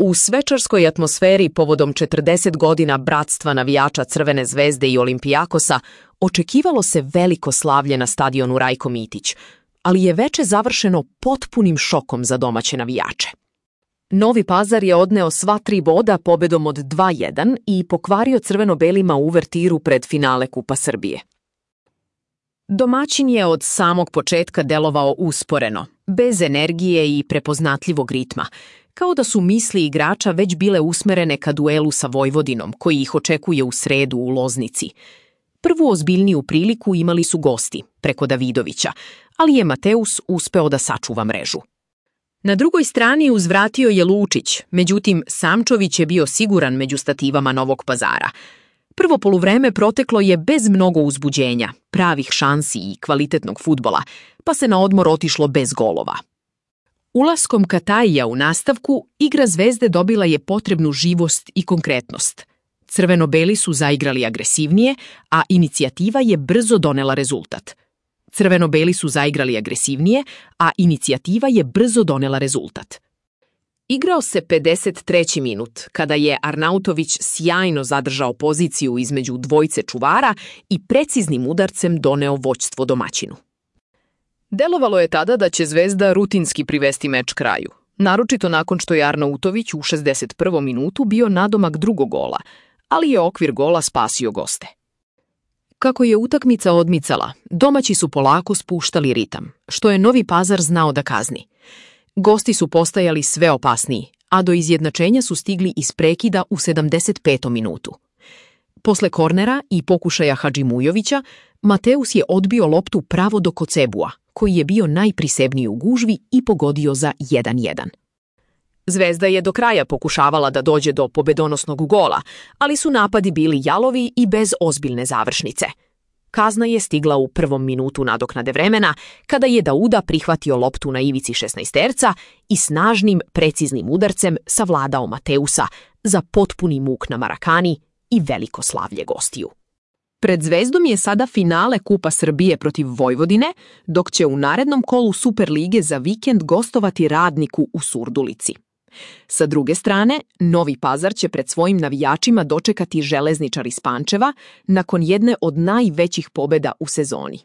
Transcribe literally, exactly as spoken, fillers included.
U svečarskoj atmosferi povodom četrdeset godina bratstva navijača Crvene zvezde i Olimpijakosa očekivalo se veliko slavlje na stadionu Rajko Mitić, ali je veče završeno potpunim šokom za domaće navijače. Novi Pazar je odneo sva tri boda pobedom od dva jedan i pokvario crveno-belima uvertiru pred finale Kupa Srbije. Domaćin je od samog početka delovao usporeno, bez energije i prepoznatljivog ritma, kao da su misli igrača već bile usmerene ka duelu sa Vojvodinom, koji ih očekuje u sredu u Loznici. Prvu ozbiljniju priliku imali su gosti, preko Davidovića, ali je Mateus uspeo da sačuva mrežu. Na drugoj strani uzvratio je Lučić, međutim Samčović je bio siguran među stativama Novog Pazara. Prvo poluvreme proteklo je bez mnogo uzbuđenja, pravih šansi i kvalitetnog fudbala, pa se na odmor otišlo bez golova. Ulaskom Katajija u nastavku, igra Zvezde dobila je potrebnu živost i konkretnost. Crveno-beli su zaigrali agresivnije, a inicijativa je brzo donela rezultat. Crveno-beli su zaigrali agresivnije, a inicijativa je brzo donela rezultat. Igrao se pedeset treći minut, kada je Arnautović sjajno zadržao poziciju između dvojce čuvara i preciznim udarcem doneo vođstvo domaćinu. Delovalo je tada da će Zvezda rutinski privesti meč kraju, naročito nakon što je Arnautović u šezdeset prvom minutu bio nadomak drugog gola, ali je okvir gola spasio goste. Kako je utakmica odmicala, domaći su polako spuštali ritam, što je Novi Pazar znao da kazni. Gosti su postajali sve opasniji, a do izjednačenja su stigli iz prekida u sedamdeset petom minutu. Posle kornera i pokušaja Hadžimujovića, Mateus je odbio loptu pravo do Kocebua, koji je bio najprisebniji u gužvi i pogodio za jedan jedan. Zvezda je do kraja pokušavala da dođe do pobedonosnog gola, ali su napadi bili jalovi i bez ozbiljne završnice. Kazna je stigla u prvom minutu nadoknade vremena, kada je Dauda prihvatio loptu na ivici šesnaesterca i snažnim, preciznim udarcem savladao Mateusa za potpuni muk na Marakani i veliko slavlje gostiju. Pred Zvezdom je sada finale Kupa Srbije protiv Vojvodine, dok će u narednom kolu Superlige za vikend gostovati Radniku u Surdulici. Sa druge strane, Novi Pazar će pred svojim navijačima dočekati Železničar iz Pančeva nakon jedne od najvećih pobeda u sezoni.